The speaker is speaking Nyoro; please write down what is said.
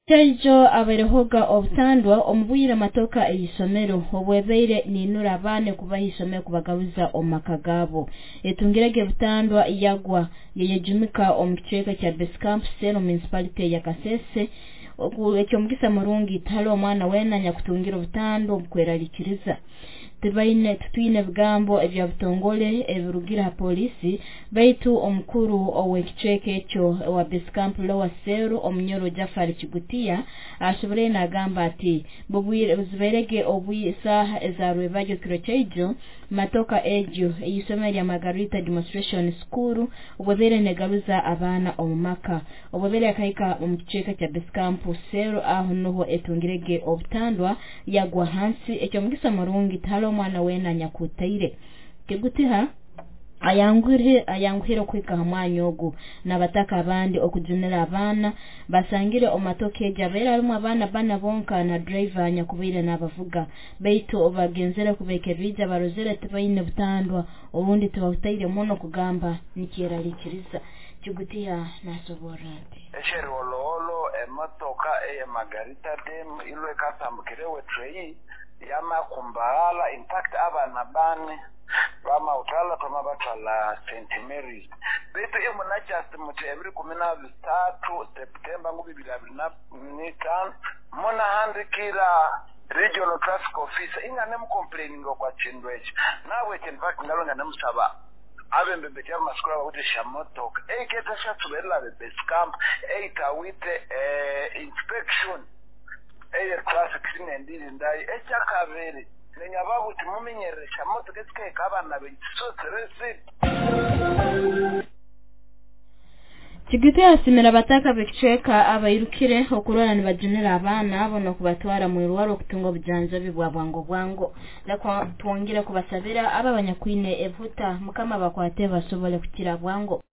Kyaijo abairehoga obutandwa omu bwire matoka ey'isomero obwebaire ninura abaana kubaha isomero kubagaruza omu maka gaabo. Etungirege butandwa yagwa yeyejumika omu kicweka kya Base Camp Cell Municipality ya Kasese. Ekyomugisa murungi tihariho omwana weena anyakutungira obutandwa obukweraliikiriza. Tibaine tutwine ebigambo ebya butongole ebirugire ha poliisi, baitu omukuru ow'ekicweka ekyo owa Base Camp Lower Cell, Omunyoro Jafari Kigutiya, asoborayo nagamba ati zibairege isaaha eza rwebagyo kiro kyaijo matoka egyo ey'isomero lya Margarita Demonstration School obwebaire negaruza abaana omu maka, obwebaire yakahika omu kicweka kya Base Camp Cell, aho nuho etungirege obutandwa yagwa hansi. Ekyomugisa murungi tihariho omwana weena anyakutaire. Kigutiha ayanguhire okuhika ha mwanya ogu n'abataka abandi okujunira abaana basangire omu matoka egi abaire harimu abaana bana bonka na driver anyakubaire n'abavuga, baitu obagenzere kubekebiija barozere tibaine butandwa obundi tibahutaire muno kugamba nikyeraliikiriza. Kigutiha nasoborra ati ekyeriwolowolo emotoka eye Margarita Dam ilwe ekatambukire treyi yamakumbaghala. In fact, abana bane bamawuthala twama batwala St Marys, baitu imuna just muti 23 Septemba 2025 munahandikira regional traffic officer ingane mucomplaininga kwa chindu ekyo. Nabwekyo in fact ngalonga nemusaba abembembetya abamasukulu abakuti shamotoka eiketa shatsuberera be base camp eitawite inspection eye traffic sinendirindayo. Ekyakabiri, nenyaba kuti mumenyerere shamotoka esikaheka abana bekisoseresi. Kigute yasimira abataka b'ekicweka abairukire okurora nibajunira abaana abo n'okubatwara mu irwaro okutunga obujanjabi bwa bwango bwango. Leka twongere kubasabira abo abanyakwine ebihuta, Mukama bakwate basobole kukira bwango.